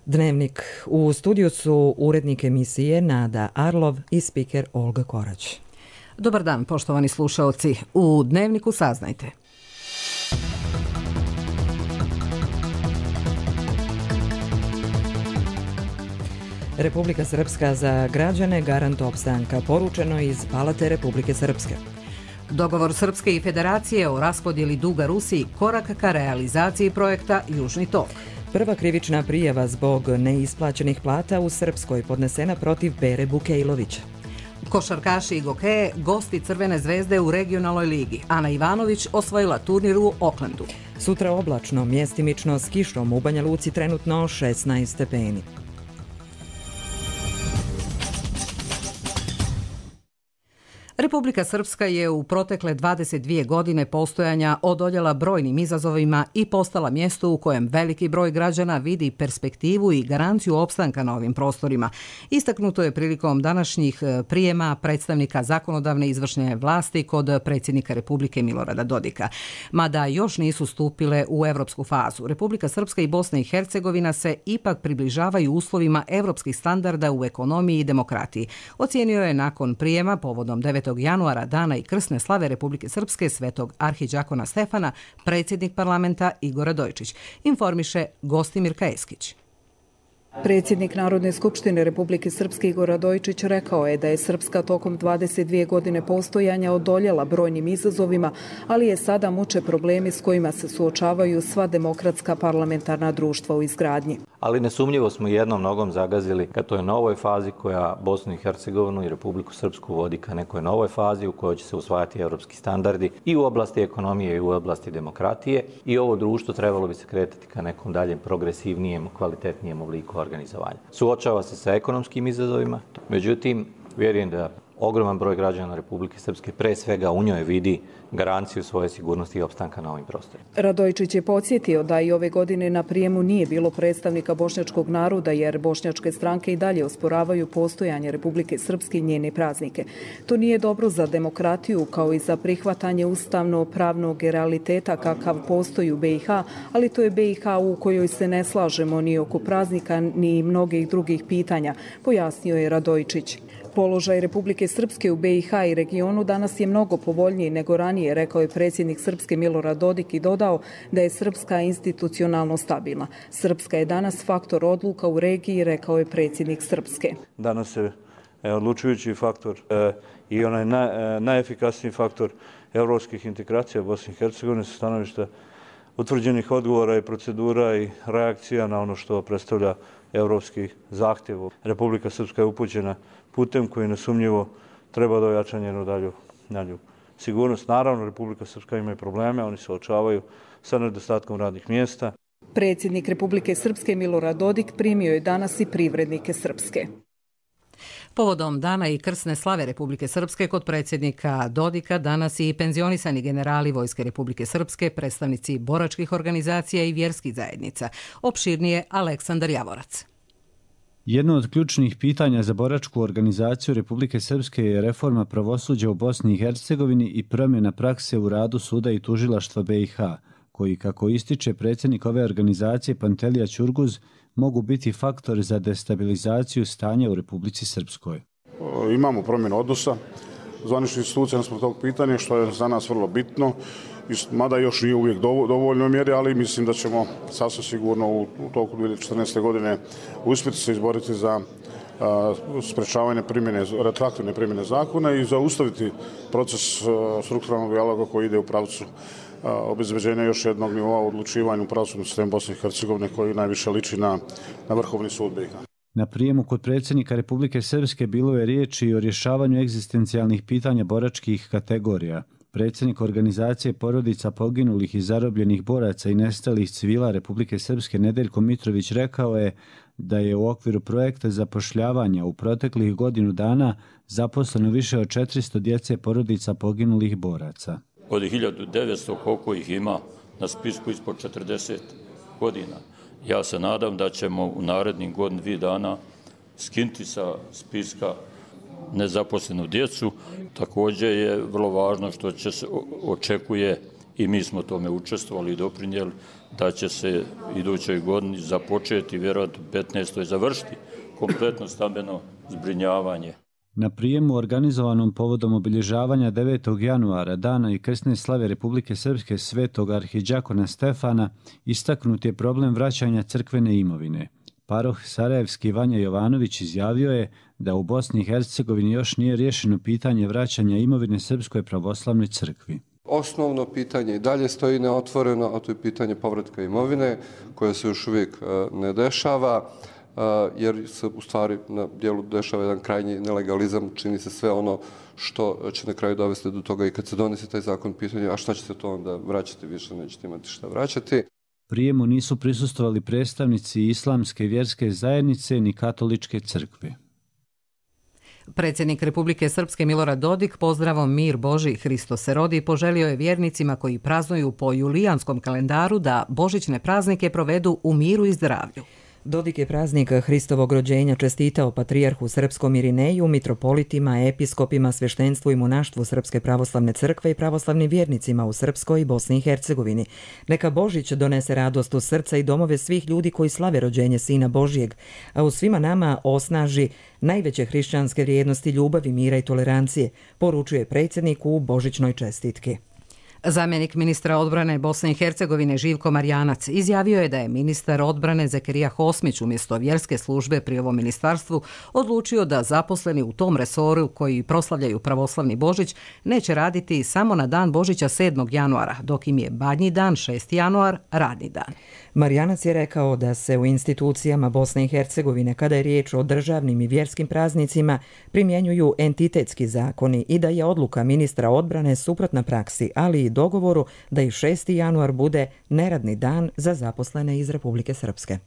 Dnevnik. U studiju su urednik emisije Nada Arlov i spiker Olga Korać. Dobar dan, poštovani slušaoci. U Dnevniku saznajte. Republika Srpska za građane garant opstanka, poručeno iz Palate Republike Srpske. Dogovor Srpske i Federacije o raspodjeli duga Rusiji korak ka realizaciji projekta Južni tok. Prva krivična prijava zbog neisplaćenih plata u Srpskoj podnesena protiv Bere Bukejlovića. Košarkaši i gokeje gosti Crvene zvezde u regionalnoj ligi. Ana Ivanović osvojila turnir u Oklandu. Sutra oblačno, mjestimično s kišom, u Banja Luci trenutno 16 stepeni. Republika Srpska je u protekle 22 godine postojanja odoljela brojnim izazovima i postala mjesto u kojem veliki broj građana vidi perspektivu i garanciju opstanka na ovim prostorima. Istaknuto je prilikom današnjih prijema predstavnika zakonodavne izvršne vlasti kod predsjednika Republike Milorada Dodika. Mada još nisu stupile u evropsku fazu, Republika Srpska i Bosna i Hercegovina se ipak približavaju uslovima evropskih standarda u ekonomiji i demokratiji. Ocijenio je nakon prijema povodom 9. januara, dana i krsne slave Republike Srpske, svetog arhidžakona Stefana, predsjednik parlamenta Igor Radojičić. Informiše Gostimir Kajeskić. Predsjednik Narodne skupštine Republike Srpske Igor Radojičić rekao je da je Srpska tokom 22 godine postojanja odoljela brojnim izazovima, ali je sada muče problemi s kojima se suočavaju sva demokratska parlamentarna društva u izgradnji. Ali nesumnjivo smo jednom nogom zagazili ka toj novoj fazi koja Bosnu i Hercegovinu i Republiku Srpsku vodi ka nekoj novoj fazi u kojoj će se usvajati evropski standardi i u oblasti ekonomije i u oblasti demokratije, i ovo društvo trebalo bi se kretati ka nekom daljem progresivnijem, kvalitetnijem obliku organizovanja. Suočava se sa ekonomskim izazovima, međutim, vjerujem da ogroman broj građana Republike Srpske pre svega u njoj vidi garanciju svoje sigurnosti i opstanka na ovim prostorima. Radojičić je podsjetio da i ove godine na prijemu nije bilo predstavnika bošnjačkog naroda, jer bošnjačke stranke i dalje osporavaju postojanje Republike Srpske i njene praznike. To nije dobro za demokratiju, kao i za prihvatanje ustavno-pravnog realiteta kakav postoji u BiH, ali to je BiH u kojoj se ne slažemo ni oko praznika ni mnogih drugih pitanja, pojasnio je Radojičić. Položaj Republike Srpske u BiH i regionu danas je mnogo povoljniji nego ranije, rekao je predsjednik Srpske Milorad Dodik i dodao da je Srpska institucionalno stabilna. Srpska je danas faktor odluka u regiji, rekao je predsjednik Srpske. Danas je odlučujući faktor i onaj najefikasniji faktor evropskih integracija Bosne i Hercegovine sa stanovišta utvrđenih odgovora i procedura i reakcija na ono što predstavlja evropski zahtjev. Republika Srpska je upućena putem koji nesumnjivo treba da ojača njenu dalju sigurnost. Naravno, Republika Srpska ima i probleme, oni se suočavaju sa nedostatkom radnih mjesta. Predsjednik Republike Srpske Milorad Dodik primio je danas i privrednike Srpske. Povodom dana i krsne slave Republike Srpske kod predsjednika Dodika danas i penzionisani generali Vojske Republike Srpske, predstavnici boračkih organizacija i vjerskih zajednica. Opširnije Aleksandar Javorac. Jedno od ključnih pitanja za boračku organizaciju Republike Srpske je reforma pravosuđa u Bosni i Hercegovini i promjena prakse u radu suda i tužilaštva BiH, koji, kako ističe predsjednik ove organizacije Pantelija Ćurguz, mogu biti faktor za destabilizaciju stanja u Republici Srpskoj. Imamo promjenu odnosa zvaničnih institucija naspram tog pitanja, što je za nas vrlo bitno, mada još nije uvijek dovoljno mjeri, ali mislim da ćemo sasvim sigurno u toku 2014. godine uspjeti se izboriti za sprečavanje retroaktivne primjene zakona i zaustaviti proces strukturalnog dijaloga koji ide u pravcu obezbeđenja još jednog nivoa odlučivanja u pravosudnom sistemu Bosne i Hercegovine koji najviše liči na Vrhovni sud BiH. Na prijemu kod predsjednika Republike Srpske bilo je riječi i o rješavanju egzistencijalnih pitanja boračkih kategorija. Predsjednik organizacije porodica poginulih i zarobljenih boraca i nestalih civila Republike Srpske Nedeljko Mitrović rekao je da je u okviru projekta zapošljavanja u proteklih godinu dana zaposleno više od 400 djece porodica poginulih boraca. Od 1900 koliko ih ima na spisku ispod 40 godina. Ja se nadam da ćemo u narednih godinu, 2 dana skinuti sa spiska nezaposlenu djecu. Također je vrlo važno što će se očekuje i mi smo tome učestvovali i doprinijeli da će se idućoj godini započeti, vjerojatno 15. završiti kompletno stambeno zbrinjavanje. Na prijemu organizovanom povodom obilježavanja 9. januara, dana i krsne slave Republike Srpske svetog arhidžakona Stefana, istaknut je problem vraćanja crkvene imovine. Paroh sarajevski Vanja Jovanović izjavio je da u Bosni i Hercegovini još nije riješeno pitanje vraćanja imovine Srpskoj pravoslavnoj crkvi. Osnovno pitanje i dalje stoji neotvoreno, a to je pitanje povratka imovine, koje se još uvijek ne dešava, jer se u stvari na dijelu dešava jedan krajnji nelegalizam, čini se sve ono što će na kraju dovesti do toga i kad se donese taj zakon pitanje, a šta ćete to onda vraćati, više nećete imati šta vraćati. Prijemu nisu prisustvovali predstavnici islamske vjerske zajednice ni katoličke crkve. Predsjednik Republike Srpske Milorad Dodik pozdravom mir Božji Hristo se rodi poželio je vjernicima koji praznuju po julijanskom kalendaru da božićne praznike provedu u miru i zdravlju. Dodik je praznik Hristovog rođenja čestitao patrijarhu srpskom Irineju, mitropolitima, episkopima, sveštenstvu i monaštvu Srpske pravoslavne crkve i pravoslavnim vjernicima u Srpskoj i Bosni i Hercegovini. Neka Božić donese radost u srca i domove svih ljudi koji slave rođenje Sina Božjeg, a u svima nama osnaži najveće hrišćanske vrijednosti ljubavi, mira i tolerancije, poručuje predsjednik u božićnoj čestitki. Zamjenik ministra odbrane Bosne i Hercegovine Živko Marjanac izjavio je da je ministar odbrane Zekerija Hosmić umjesto vjerske službe pri ovom ministarstvu odlučio da zaposleni u tom resoru koji proslavljaju pravoslavni Božić neće raditi samo na dan Božića 7. januara, dok im je Badnji dan 6. januar radni dan. Marjanac je rekao da se u institucijama Bosne i Hercegovine, kada je riječ o državnim i vjerskim praznicima, primjenjuju entitetski zakoni i da je odluka ministra odbrane suprotna praksi, ali i dogovoru da i 6. januar bude neradni dan za zaposlene iz Republike Srpske.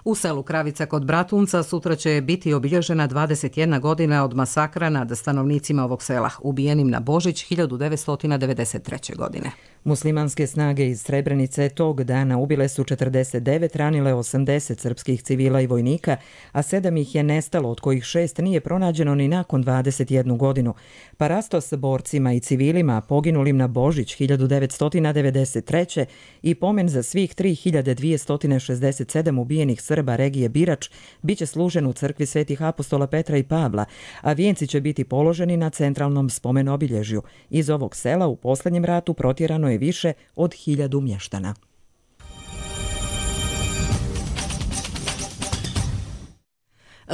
U selu Kravica kod Bratunca sutra će biti obilježena 21 godina od masakra nad stanovnicima ovog sela, ubijenim na Božić 1993. godine. Muslimanske snage iz Srebrenice tog dana ubile su 49, ranile 80 srpskih civila i vojnika, a 7 ih je nestalo, od kojih 6 nije pronađeno ni nakon 21 godinu. Parasto s borcima i civilima poginulim na Božić 1993. i pomen za svih 3267 ubijenih Srba regije Birač biće služen u crkvi Svetih apostola Petra i Pavla, a vijenci će biti položeni na centralnom spomen-obilježju. Iz ovog sela u posljednjem ratu protjerano je više od 1000 mještana.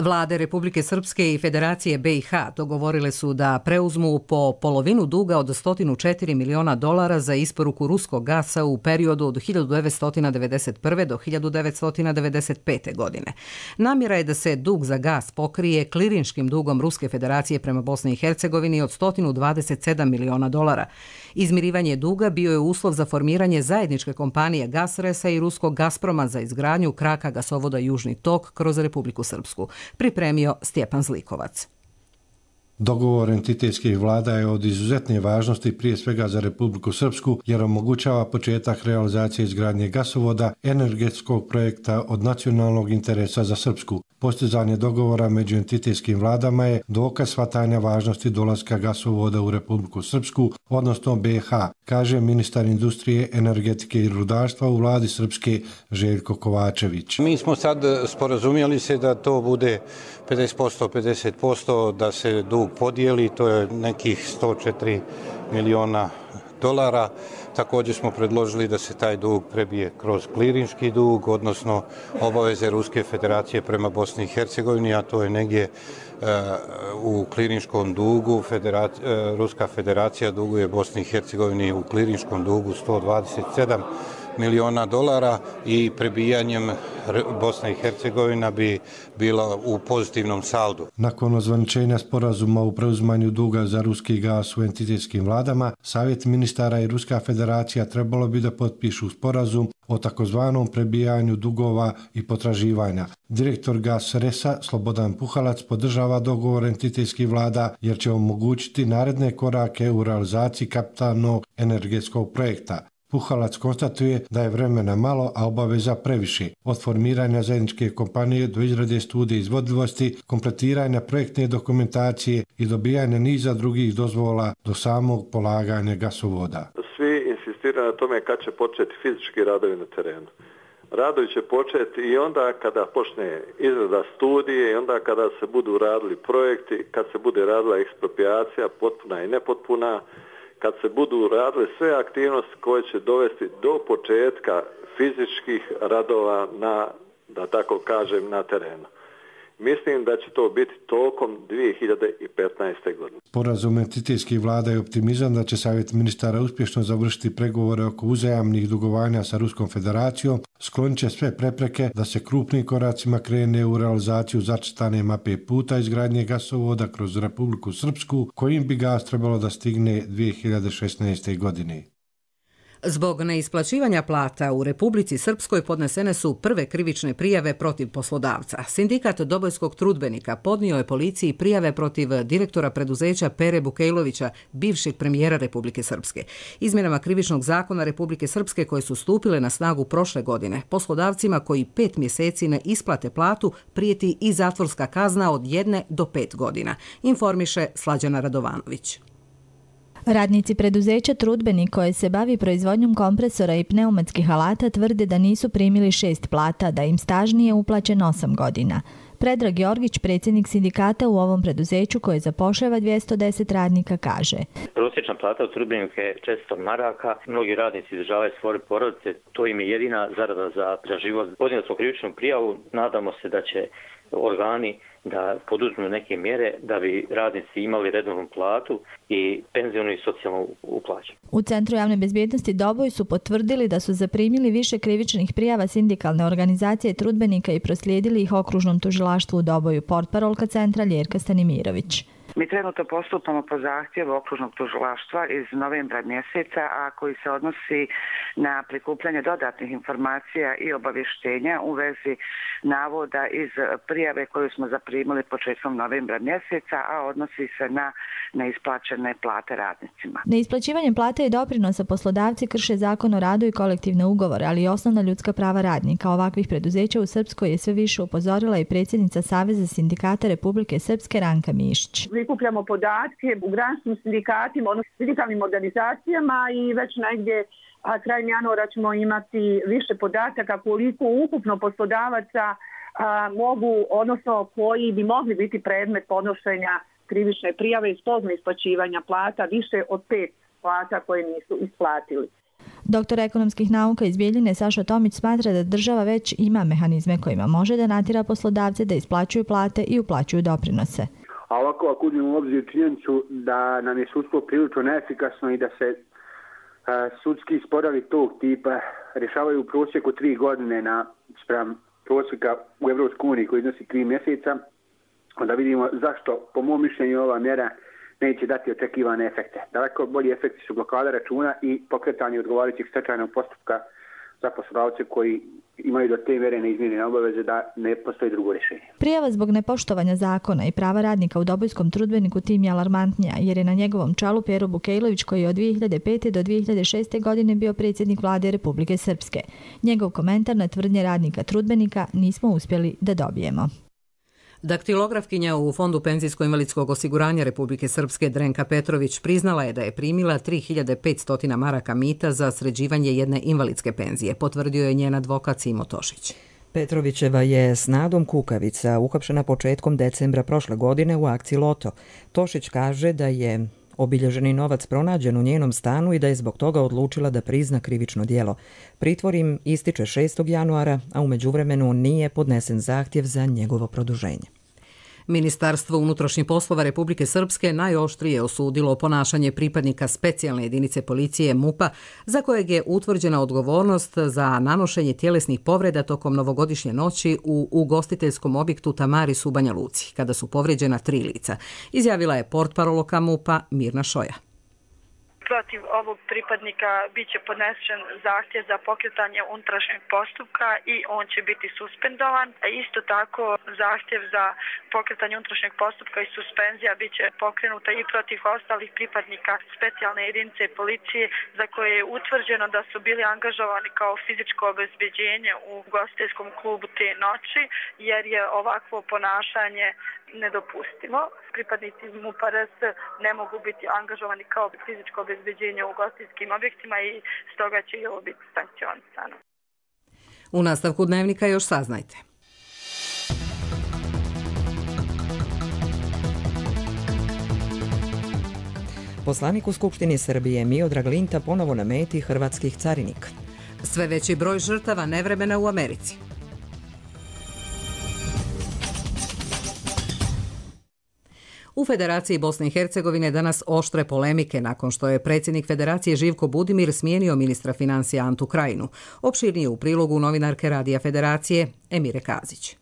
Vlade Republike Srpske i Federacije BiH dogovorile su da preuzmu po polovinu duga od $104 miliona za isporuku ruskog gasa u periodu od 1991. do 1995. godine. Namjera je da se dug za gas pokrije klirinškim dugom Ruske Federacije prema Bosni i Hercegovini od $127 miliona. Izmirivanje duga bio je uslov za formiranje zajedničke kompanije Gasresa i ruskog Gazproma za izgradnju kraka gasovoda Južni tok kroz Republiku Srpsku. Pripremio Stjepan Zlikovac. Dogovor entitetskih vlada je od izuzetne važnosti prije svega za Republiku Srpsku jer omogućava početak realizacije izgradnje gasovoda, energetskog projekta od nacionalnog interesa za Srpsku. Postizanje dogovora među entitetskim vladama je dokaz shvatanja važnosti dolaska gasovoda u Republiku Srpsku, odnosno BiH, kaže ministar industrije, energetike i rudarstva u vladi Srpske Željko Kovačević. Mi smo sad sporazumjeli se da to bude 50%, 50%, da se dug podijeli, to je nekih $104 miliona. Također smo predložili da se taj dug prebije kroz klirinški dug, odnosno obaveze Ruske Federacije prema Bosni i Hercegovini, a to je negdje u klirinškom dugu. Ruska Federacija duguje Bosni i Hercegovini u klirinškom dugu $127 miliona i prebijanjem Bosna i Hercegovina bi bila u pozitivnom saldu. Nakon ozvaničenja sporazuma u preuzimanju duga za ruski gas u entitetskim vladama, Savjet ministara i Ruska Federacija trebalo bi da potpišu sporazum o takozvanom prebijanju dugova i potraživanja. Direktor Gasresa Slobodan Puhalac podržava dogovor entitetskih vlada jer će omogućiti naredne korake u realizaciji kapitalnog energetskog projekta. Puhalac konstatuje da je vremena malo, a obaveza previše. Od formiranja zajedničke kompanije do izrade studije izvodljivosti, kompletiranja projektne dokumentacije i dobijanja niza drugih dozvola do samog polaganja gasovoda. Svi insistiraju insistiraju na tome kad će početi fizički radovi na terenu. Radovi će početi i onda kada počne izrada studije i onda kada se budu radili projekti, kad se bude radila eksproprijacija, potpuna i nepotpuna, kad se budu radile sve aktivnosti koje će dovesti do početka fizičkih radova na, da tako kažem, na terenu. Mislim da će to biti tokom 2015. godine. Sporazum entitetskih vlada je optimizam da će Savjet ministara uspješno završiti pregovore oko uzajamnih dugovanja sa Ruskom federacijom, sklonit će sve prepreke da se krupnim koracima krene u realizaciju zacrtane mape puta izgradnje gasovoda kroz Republiku Srpsku, kojim bi gas trebalo da stigne 2016. godine. Zbog neisplaćivanja plata u Republici Srpskoj podnesene su prve krivične prijave protiv poslodavca. Sindikat Dobojskog trudbenika podnio je policiji prijave protiv direktora preduzeća Pere Bukejlovića, bivšeg premijera Republike Srpske. Izmjenama krivičnog zakona Republike Srpske koje su stupile na snagu prošle godine, poslodavcima koji 5 mjeseci ne isplate platu prijeti i zatvorska kazna od 1 do 5 godina, informiše Slađana Radovanović. Radnici preduzeća Trudbenik koje se bavi proizvodnjom kompresora i pneumatskih alata tvrde da nisu primili 6 plata, da im staž nije uplaćen 8 godina. Predrag Georgić, predsjednik sindikata u ovom preduzeću koje zapošljava 210 radnika, kaže: Prosječna plata u Trudbeniku je 400 maraka. Mnogi radnici izdržavaju svoje porodice, to im je jedina zarada za život. Podnijeli smo krivičnu prijavu, nadamo se da će organi da poduzmu neke mjere da bi radnici imali redovnu platu i penzijonu i socijalnu uplaću. U Centru javne bezbjednosti Doboj su potvrdili da su zaprimili više krivičnih prijava sindikalne organizacije Trudbenika i proslijedili ih okružnom tužilaštvu u Doboju, portparolka centra Ljerka Stanimirović. Mi trenutno postupamo po zahtjevu okružnog tužilaštva iz novembra mjeseca, a koji se odnosi na prikupljanje dodatnih informacija i obavještenja u vezi navoda iz prijave koju smo zaprimili početkom novembra mjeseca, a odnosi se na neisplaćene plate radnicima. Neisplaćivanjem plate i doprinosa poslodavci krše zakon o radu i kolektivne ugovore, ali i osnovna ljudska prava radnika. Ovakvih preduzeća u Srpskoj je sve više upozorila i predsjednica Saveza sindikata Republike Srpske Ranka Mišić. Prikupljamo podatke u granskim sindikatima, odnosno sindikalnim organizacijama i već negdje krajem januara ćemo imati više podataka koliko ukupno poslodavaca mogu, odnosno koji bi mogli biti predmet podnošenja krivične prijave zbog neisplaćivanja plata, više od 5 plata koje nisu isplatili. Doktor ekonomskih nauka iz Bijeljine Saša Tomić smatra da država već ima mehanizme kojima može da natjera poslodavce da isplaćuju plate i uplaćuju doprinose. A ovako, ako uzmemo u obzir činjenicu da nam je sudstvo prilično neefikasno i da se sudski sporovi tog tipa rješavaju u prosjeku 3 godine spram prosjeka u EU koji iznosi 3 mjeseca, onda vidimo zašto, po mom mišljenju, ova mjera neće dati očekivane efekte. Daleko bolji efekti su blokada računa i pokretanje odgovarajućeg stečajnog postupka za poslodavce koji imaju do te mjere neizmjerene obaveze da ne postoji drugo rješenje. Prijava zbog nepoštovanja zakona i prava radnika u Dobojskom trudbeniku tim je alarmantnija, jer je na njegovom čelu Pero Bukejlović koji je od 2005. do 2006. godine bio predsjednik vlade Republike Srpske. Njegov komentar na tvrdnje radnika trudbenika nismo uspjeli da dobijemo. Daktilografkinja u Fondu penzijsko-invalidskog osiguranja Republike Srpske Drenka Petrović priznala je da je primila 3500 maraka mita za sređivanje jedne invalidske penzije, potvrdio je njen advokat Simo Tošić. Petrovićeva je s Nadom Kukavica uhapšena početkom decembra prošle godine u akciji Loto. Tošić kaže da je obilježeni novac pronađen u njenom stanu i da je zbog toga odlučila da prizna krivično djelo. Pritvor im ističe 6. januara, a u međuvremenu nije podnesen zahtjev za njegovo produženje. Ministarstvo unutrašnjih poslova Republike Srpske najoštrije osudilo ponašanje pripadnika specijalne jedinice policije MUP-a za kojeg je utvrđena odgovornost za nanošenje tjelesnih povreda tokom novogodišnje noći u ugostiteljskom objektu Tamaris u Banja Luci, kada su povrijeđena 3 lica, izjavila je portparolka MUP-a Mirna Šoja. Protiv ovog pripadnika biće podnesen zahtjev za pokretanje unutrašnjeg postupka i on će biti suspendovan. Isto tako zahtjev za pokretanje unutrašnjeg postupka i suspenzija biće pokrenuta i protiv ostalih pripadnika specijalne jedinice policije za koje je utvrđeno da su bili angažovani kao fizičko obezbeđenje u ugostiteljskom klubu te noći, jer je ovakvo ponašanje nedopustivo. Pripadnici MUP-a RS ne mogu biti angažovani kao fizičko obezbeđenje u ugostiteljskim objektima i stoga će i ovo biti sankcionisano. U nastavku dnevnika još saznajte. Poslanik u Skupštini Srbije Miodrag Linta ponovo na meti hrvatskih carinika. Sve veći broj žrtava nevremena u Americi. U Federaciji Bosne i Hercegovine danas oštre polemike nakon što je predsjednik Federacije Živko Budimir smijenio ministra financija Antu Krajinu. Opširnije u prilogu novinarke Radija Federacije Emire Kazić.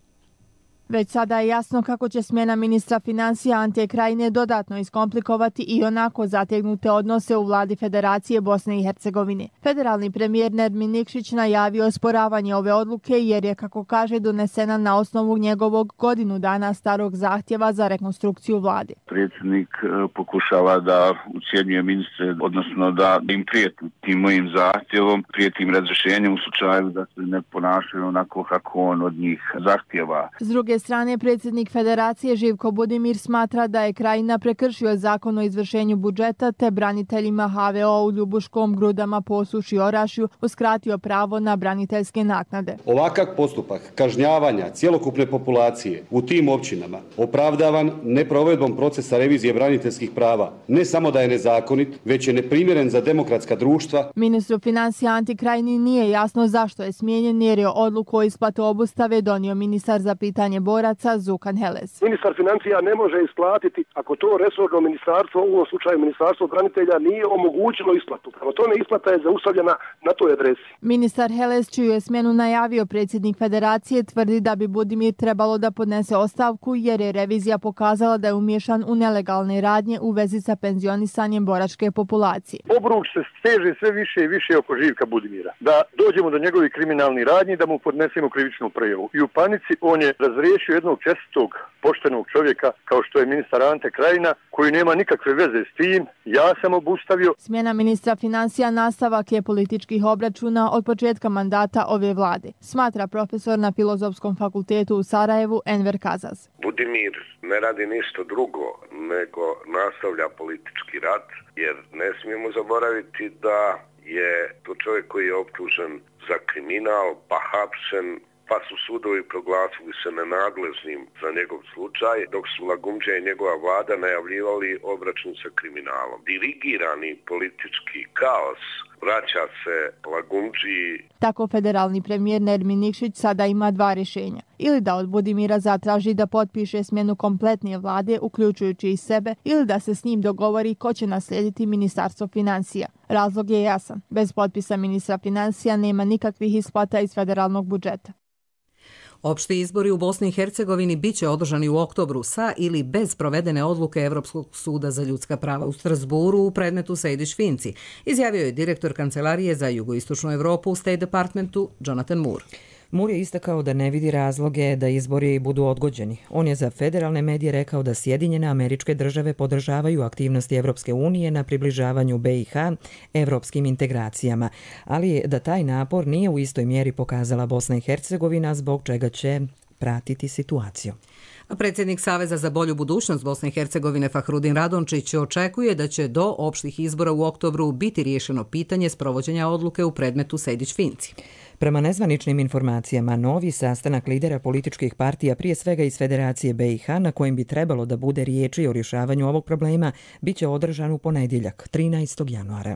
Već sada je jasno kako će smjena ministra financija Ante Krajine dodatno iskomplikovati i onako zategnute odnose u vladi Federacije Bosne i Hercegovine. Federalni premijer Nermin Nikšić najavio osporavanje ove odluke jer je, kako kaže, donesena na osnovu njegovog godinu dana starog zahtjeva za rekonstrukciju vlade. Predsjednik pokušava da ucjenjuje ministre, odnosno da im prijeti tim mojim zahtjevom, prijeti im razrješenjem u slučaju da se ne ponašaju onako kako on od njih zahtjeva. S druge strane, predsjednik Federacije Živko Budimir smatra da je Krajina prekršio zakon o izvršenju budžeta te braniteljima HVO u Ljubuškom, Grudama, Posuši i Orašju uskratio pravo na braniteljske naknade. Ovakav postupak kažnjavanja cjelokupne populacije u tim općinama opravdavan neprovedbom procesa revizije braniteljskih prava ne samo da je nezakonit, već je neprimjeren za demokratska društva. Ministru financija Anti Krajini nije jasno zašto je smijenjen jer je odluku o isplatu obustave donio ministar za pitanje boraca Zukan Heles. Ministar financija ne može isplatiti ako to resorno ministarstvo, u ovom slučaju ministarstvo branitelja, nije omogućilo isplatu. Prema tome isplata je zaustavljena na toj adresi. Ministar Heles, čiju je smjenu najavio predsjednik Federacije, tvrdi da bi Budimir trebalo da podnese ostavku jer je revizija pokazala da je umiješan u nelegalne radnje u vezi sa penzionisanjem boračke populacije. Obruč se steže sve više i više oko Živka Budimira. Da dođemo do njegovih kriminalnih radnji, da mu podnesemo krivičnu prijavu. I u panici on je razriješio jednog čestitog, poštenog čovjeka kao što je ministar Ante Krajina, koji nema nikakve veze s tim. Ja sam obustavio. Smjena ministra financija nastavak je političkih obračuna od početka mandata ove vlade, smatra profesor na Filozofskom fakultetu u Sarajevu Enver Kazaz. Budimir ne radi ništa drugo nego nastavlja politički rat, jer ne smijemo zaboraviti da je to čovjek koji je optužen za kriminal, pa hapšen, pa su sudovi proglasili se nenadležnim za njegov slučaj, dok su Lagumdžija i njegova vlada najavljivali obračun sa kriminalom. Dirigirani politički kaos vraća se Lagumdžiji. Tako federalni premijer Nermin Nikšić sada ima dva rješenja. Ili da od Budimira zatraži da potpiše smjenu kompletne vlade, uključujući i sebe, ili da se s njim dogovori ko će naslijediti ministarstvo financija. Razlog je jasan. Bez potpisa ministra financija nema nikakvih isplata iz federalnog budžeta. Opšti izbori u Bosni i Hercegovini biće održani u oktobru sa ili bez provedene odluke Evropskog suda za ljudska prava u Strasburu u predmetu Sejdić-Finci, izjavio je direktor Kancelarije za jugoistočnu Evropu u State Departmentu Jonathan Moore. Moore je istakao da ne vidi razloge da izbori budu odgođeni. On je za federalne medije rekao da Sjedinjene Američke Države podržavaju aktivnosti Evropske unije na približavanju BiH evropskim integracijama, ali da taj napor nije u istoj mjeri pokazala Bosna i Hercegovina, zbog čega će pratiti situaciju. A predsjednik Saveza za bolju budućnost Bosne i Hercegovine Fahrudin Radončić očekuje da će do opštih izbora u oktobru biti riješeno pitanje sprovođenja odluke u predmetu Sejdić-Finci. Prema nezvaničnim informacijama, novi sastanak lidera političkih partija, prije svega iz Federacije BiH, na kojem bi trebalo da bude riječi o rješavanju ovog problema, bit će održan u ponedjeljak, 13. januara.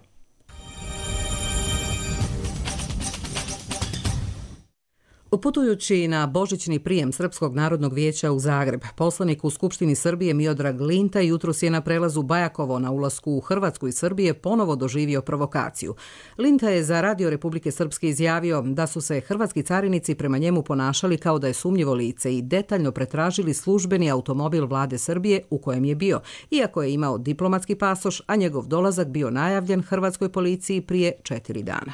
Putujući na božićni prijem Srpskog narodnog vijeća u Zagreb, poslanik u Skupštini Srbije Miodrag Linta jutros je na prelazu Bajakovo na ulasku u Hrvatsku i Srbije ponovo doživio provokaciju. Linta je za Radio Republike Srpske izjavio da su se hrvatski carinici prema njemu ponašali kao da je sumnjivo lice i detaljno pretražili službeni automobil vlade Srbije u kojem je bio, iako je imao diplomatski pasoš, a njegov dolazak bio najavljen hrvatskoj policiji prije 4 dana.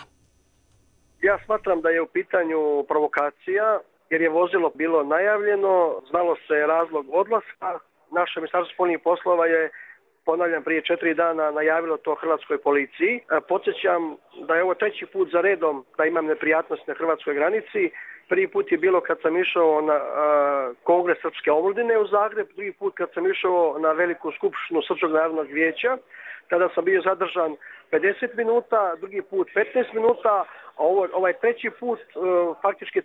Ja smatram da je u pitanju provokacija, jer je vozilo bilo najavljeno, znalo se razlog odlaska. Naše ministarstvo spoljnih poslova je ponavljam, prije 4 dana najavilo to hrvatskoj policiji. Podsjećam da je ovo 3. put za redom da imam neprijatnost na hrvatskoj granici. Prvi put je bilo kad sam išao na Kongres Srpske omladine u Zagreb, drugi put kad sam išao na veliku skupštinu Srpskog narodnog vijeća. Tada sam bio zadržan 50 minuta, drugi put 15 minuta, a ovaj 3. put faktički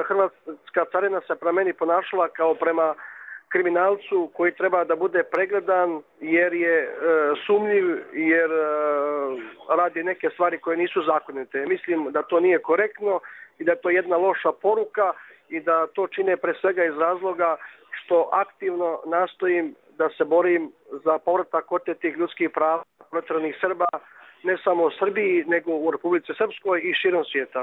hrvatska carina se prema meni ponašala kao prema kriminalcu koji treba da bude pregledan jer je sumnjiv, jer radi neke stvari koje nisu zakonite. Mislim da to nije korektno i da je to jedna loša poruka i da to čine pre svega iz razloga što aktivno nastojim da se borim za povratak otetih ljudskih prava proteranih Srba, ne samo u Srbiji, nego u Republici Srpskoj i širom svijeta.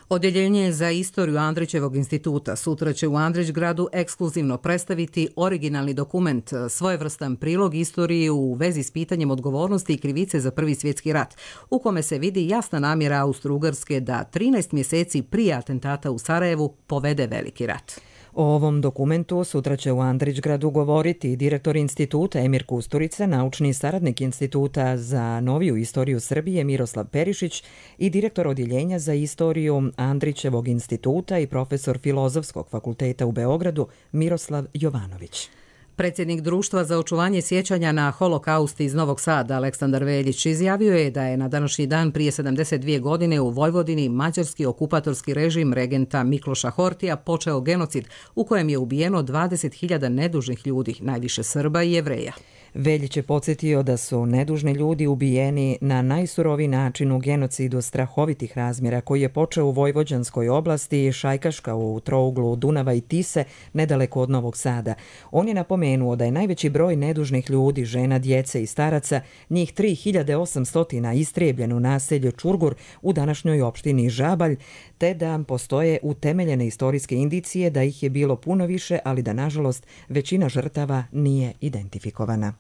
Odjeljenje za istoriju Andrićevog instituta sutra će u Andrićgradu ekskluzivno predstaviti originalni dokument, svojevrstan prilog istoriji u vezi s pitanjem odgovornosti i krivice za Prvi svjetski rat, u kome se vidi jasna namjera Austro-Ugarske da 13 mjeseci prije atentata u Sarajevu povede veliki rat. O ovom dokumentu sutra će u Andrićgradu govoriti direktor instituta Emir Kusturica, naučni saradnik Instituta za noviju istoriju Srbije Miroslav Perišić i direktor odjeljenja za istoriju Andrićevog instituta i profesor Filozofskog fakulteta u Beogradu Miroslav Jovanović. Predsjednik Društva za očuvanje sjećanja na holokaust iz Novog Sada, Aleksandar Veljić, izjavio je da je na današnji dan prije 72 godine u Vojvodini mađarski okupatorski režim regenta Mikloša Hortija počeo genocid u kojem je ubijeno 20.000 nedužnih ljudi, najviše Srba i Jevreja. Veljić je podsjetio da su nedužni ljudi ubijeni na najsuroviji način u genocidu strahovitih razmjera koji je počeo u Vojvođanskoj oblasti, Šajkaška u trouglu Dunava i Tise, nedaleko od Novog Sada. On je napomenuo da je najveći broj nedužnih ljudi, žena, djece i staraca, njih 3800 istrijebljeno u naselju Čurgur u današnjoj opštini Žabalj, te da postoje utemeljene istorijske indicije da ih je bilo puno više, ali da nažalost većina žrtava nije identifikovana.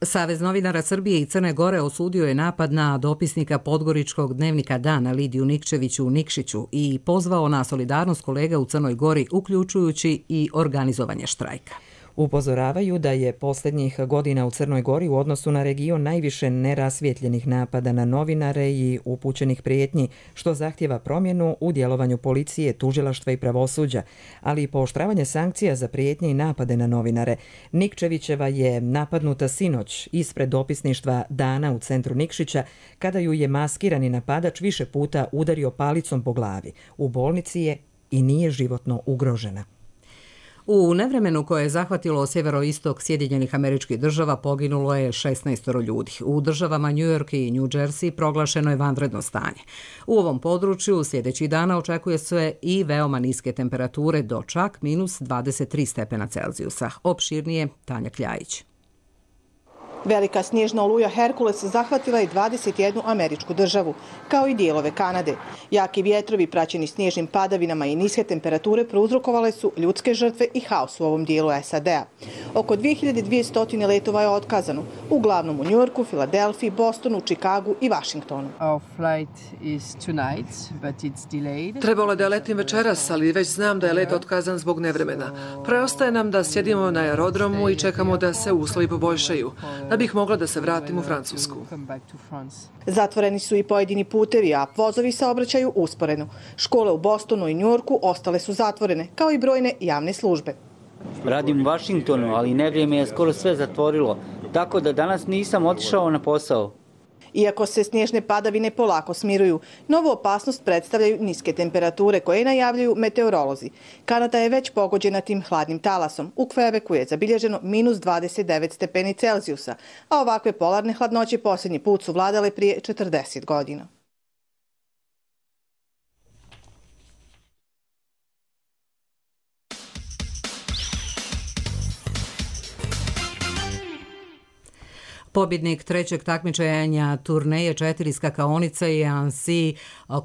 Savez novinara Srbije i Crne Gore osudio je napad na dopisnika podgoričkog dnevnika Dana Lidiju Nikčeviću u Nikšiću i pozvao na solidarnost kolega u Crnoj Gori, uključujući i organizovanje štrajka. Upozoravaju da je posljednjih godina u Crnoj Gori u odnosu na region najviše nerasvjetljenih napada na novinare i upućenih prijetnji, što zahtjeva promjenu u djelovanju policije, tužilaštva i pravosuđa, ali i pooštravanje sankcija za prijetnje i napade na novinare. Nikčevićeva je napadnuta sinoć ispred dopisništva Dana u centru Nikšića, kada ju je maskirani napadač više puta udario palicom po glavi. U bolnici je i nije životno ugrožena. U nevremenu koje je zahvatilo sjeveroistok Sjedinjenih Američkih Država poginulo je 16 ljudi. U državama New York i New Jersey proglašeno je vanredno stanje. U ovom području sljedećih dana očekuje se i veoma niske temperature do čak minus 23 stepena Celzijusa. Opširnije Tanja Kljajić. Velika snježna oluja Herkules zahvatila je 21 američku državu, kao i dijelove Kanade. Jaki vjetrovi praćeni snježnim padavinama i niske temperature prouzrokovale su ljudske žrtve i haos u ovom dijelu SAD-a. Oko 2200 letova je otkazano, uglavnom u Njujorku, Filadelfiji, Bostonu, Čikagu i Vašingtonu. Trebalo je da letim večeras, ali već znam da je let otkazan zbog nevremena. Preostaje nam da sjedimo na aerodromu i čekamo da se uslovi poboljšaju, da bih mogla da se vratim u Francusku. Zatvoreni su i pojedini putevi, a vozovi saobraćaju usporeno. Škole u Bostonu i Njujorku ostale su zatvorene, kao i brojne javne službe. Radim u Vašingtonu, ali nevrijeme je skoro sve zatvorilo, tako da danas nisam otišao na posao. Iako se snježne padavine polako smiruju, novu opasnost predstavljaju niske temperature koje najavljuju meteorolozi. Kanada je već pogođena tim hladnim talasom. U Kvebeku je zabilježeno minus 29 stepeni Celzijusa, a ovakve polarne hladnoće posljednji put su vladale prije 40 godina. Pobjednik trećeg takmičenja turneje 4 skakaonice je Ansi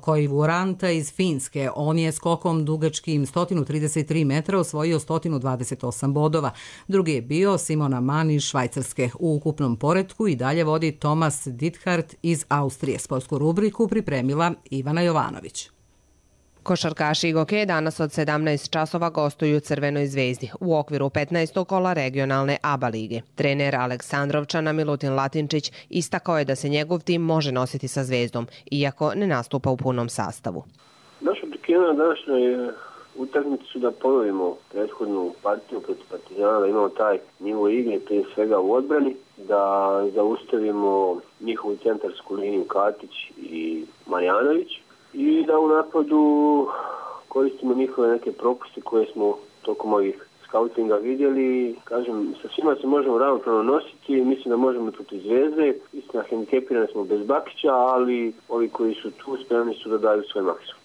Koivuranta iz Finske. On je skokom dugačkim 133 metra osvojio 128 bodova. Drugi je bio Simona Mann iz Švajcarske. U ukupnom poretku i dalje vodi Thomas Dithart iz Austrije. Sportsku rubriku pripremila Ivana Jovanović. Košarkaši Igoke danas od 17 časova gostuju Crvenoj zvezdi u okviru 15. kola regionalne ABA lige. Trener Aleksandrovčana Milutin Latinčić istakao je da se njegov tim može nositi sa zvezdom, iako ne nastupa u punom sastavu. Naša očekivanja na današnjoj utakmici su da ponovimo prethodnu partiju protiv Partizana, da imamo taj nivo igre prije svega u odbrani, da zaustavimo njihovu centarsku liniju Katić i Marjanović i da u napadu koristimo njihove neke propuste koje smo tokom ovih skautinga vidjeli. Kažem, sa svima se možemo ravnopravno nositi, mislim da možemo protiv Zvezde. Istina, hendikepirani smo bez Bakića, ali ovi koji su tu spremni su da daju svoj maksimum.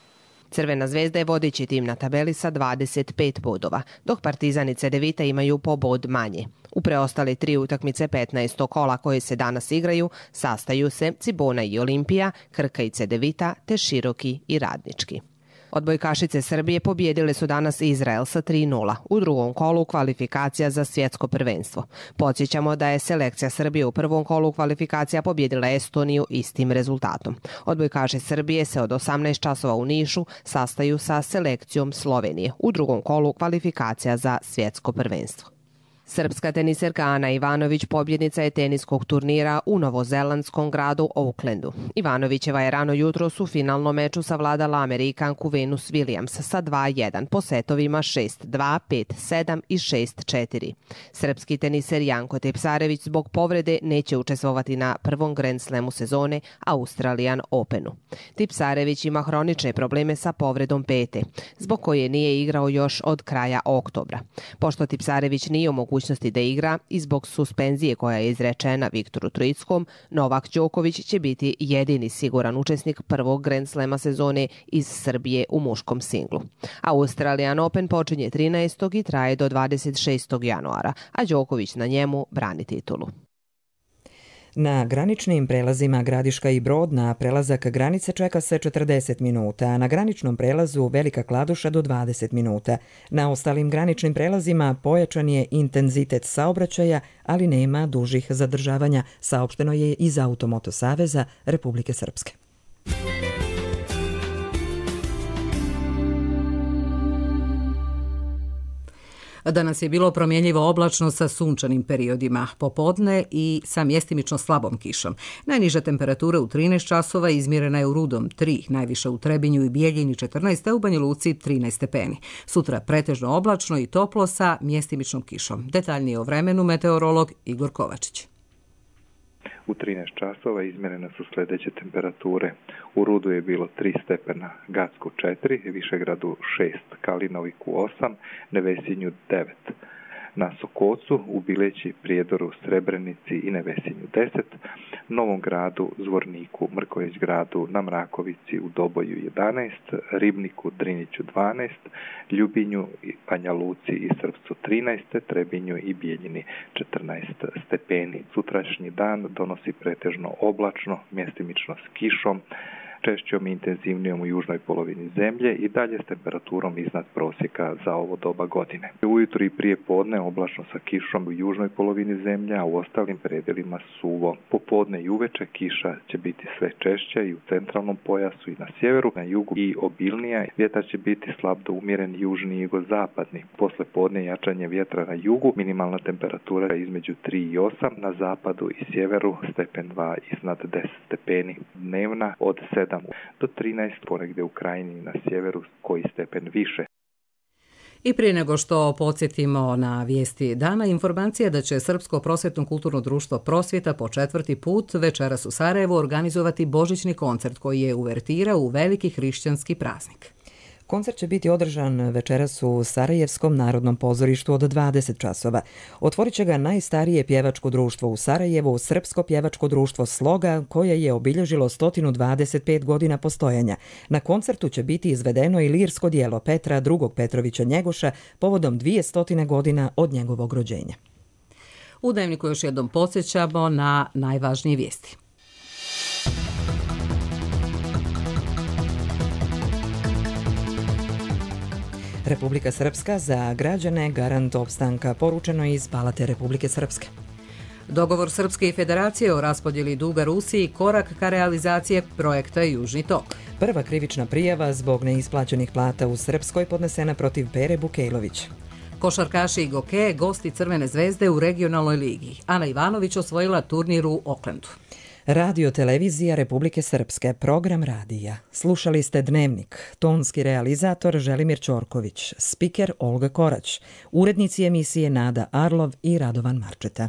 Crvena zvezda je vodeći tim na tabeli sa 25 bodova, dok Partizan i Cedevita imaju po bod manje. U preostale 3 utakmice 15. kola koje se danas igraju sastaju se Cibona i Olimpija, Krka i Cedevita, te Široki i Radnički. Odbojkašice Srbije pobijedile su danas Izrael sa 3:0 u drugom kolu kvalifikacija za svjetsko prvenstvo. Podsjećamo da je selekcija Srbije u prvom kolu kvalifikacija pobijedila Estoniju istim rezultatom. Odbojkaši Srbije se od 18 časova u Nišu sastaju sa selekcijom Slovenije u drugom kolu kvalifikacija za svjetsko prvenstvo. Srpska teniserka Ana Ivanović pobjednica je teniskog turnira u novozelandskom gradu Aucklandu. Ivanovićeva je rano jutros u finalnom meču savladala Amerikanku Venus Williams sa 2:1 po setovima 6:2, 5:7 i 6:4. Srpski teniser Janko Tipsarević zbog povrede neće učestvovati na prvom Grand Slamu sezone Australian Openu. Tipsarević ima hronične probleme sa povredom pete, zbog koje nije igrao još od kraja oktobra. Pošto Tipsarević nije u mogućnosti da igra i zbog suspenzije koja je izrečena Viktoru Trojickom, Novak Đoković će biti jedini siguran učesnik prvog Grand Slama sezone iz Srbije u muškom singlu. Australian Open počinje 13. i traje do 26. januara, a Đoković na njemu brani titulu. Na graničnim prelazima Gradiška i Brod na prelazak granice čeka se 40 minuta, a na graničnom prelazu Velika Kladuša do 20 minuta. Na ostalim graničnim prelazima pojačan je intenzitet saobraćaja, ali nema dužih zadržavanja, saopšteno je iz Automoto saveza Republike Srpske. Danas je bilo promjenjivo oblačno sa sunčanim periodima popodne i sa mjestimično slabom kišom. Najniža temperatura u 13 časova izmjerena je u Rudom 3, najviša u Trebinju i Bijeljini 14, a u Banja Luci 13 stepeni. Sutra pretežno oblačno i toplo sa mjestimičnom kišom. Detaljnije o vremenu meteorolog Igor Kovačić. U 13 časova izmjerene su sljedeće temperature. U Rudu je bilo 3 stepena, Gacku 4, Višegradu 6, Kalinoviku 8, Nevesinju 9. Na Sokocu, u Bileći, Prijedoru, Srebrenici i Nevesinju 10, Novom Gradu, Zvorniku, Mrković gradu, na Mrakovici, u Doboju 11, Ribniku, Driniću 12, Ljubinju, Banja Luci i Srpcu 13, Trebinju i Bijeljini 14 stepeni. Sutrašnji dan donosi pretežno oblačno, mjestimično s kišom, češćom i intenzivnijom u južnoj polovini zemlje i dalje s temperaturom iznad prosjeka za ovo doba godine. Ujutro i prije podne oblačno sa kišom u južnoj polovini zemlje, a u ostalim predjelima suvo. Popodne i uveče kiša će biti sve češća i u centralnom pojasu i na sjeveru, na jugu i obilnija. Vjetar će biti slab do umjeren južni i jugozapadni. Posle podne jačanje vjetra na jugu, minimalna temperatura između 3 i 8, na zapadu i sjeveru stepen 2 iznad 10 stepeni. Dnevna od 7 do 13, ponegdje u krajini na sjeveru koji stepen više. I prije nego što podsjetimo na vijesti dana, informacija da će Srpsko prosvjetno kulturno društvo Prosvjeta po 4. put večeras u Sarajevu organizovati božićni koncert koji je uvertira u veliki hrišćanski praznik. Koncert će biti održan večeras u Sarajevskom narodnom pozorištu od 20 časova. Otvorit će ga najstarije pjevačko društvo u Sarajevu, Srpsko pjevačko društvo Sloga, koje je obilježilo 125 godina postojanja. Na koncertu će biti izvedeno i lirsko djelo Petra II. Petrovića Njegoša povodom 200 godina od njegovog rođenja. U Dnevniku još jednom podsjećamo na najvažnije vijesti. Republika Srpska za građane garant opstanka, poručeno iz Palate Republike Srpske. Dogovor Srpske federacije o raspodjeli duga Rusiji korak ka realizacije projekta Južni tok. Prva krivična prijava zbog neisplaćenih plata u Srpskoj podnesena protiv Pere Bukejlović. Košarkaši i gokeje gosti Crvene zvezde u regionalnoj ligi. Ana Ivanović osvojila turnir u Oklandu. Radio televizija Republike Srpske, program radija. Slušali ste Dnevnik, tonski realizator Želimir Ćorković, spiker Olga Korać, urednici emisije Nada Arlov i Radovan Marčeta.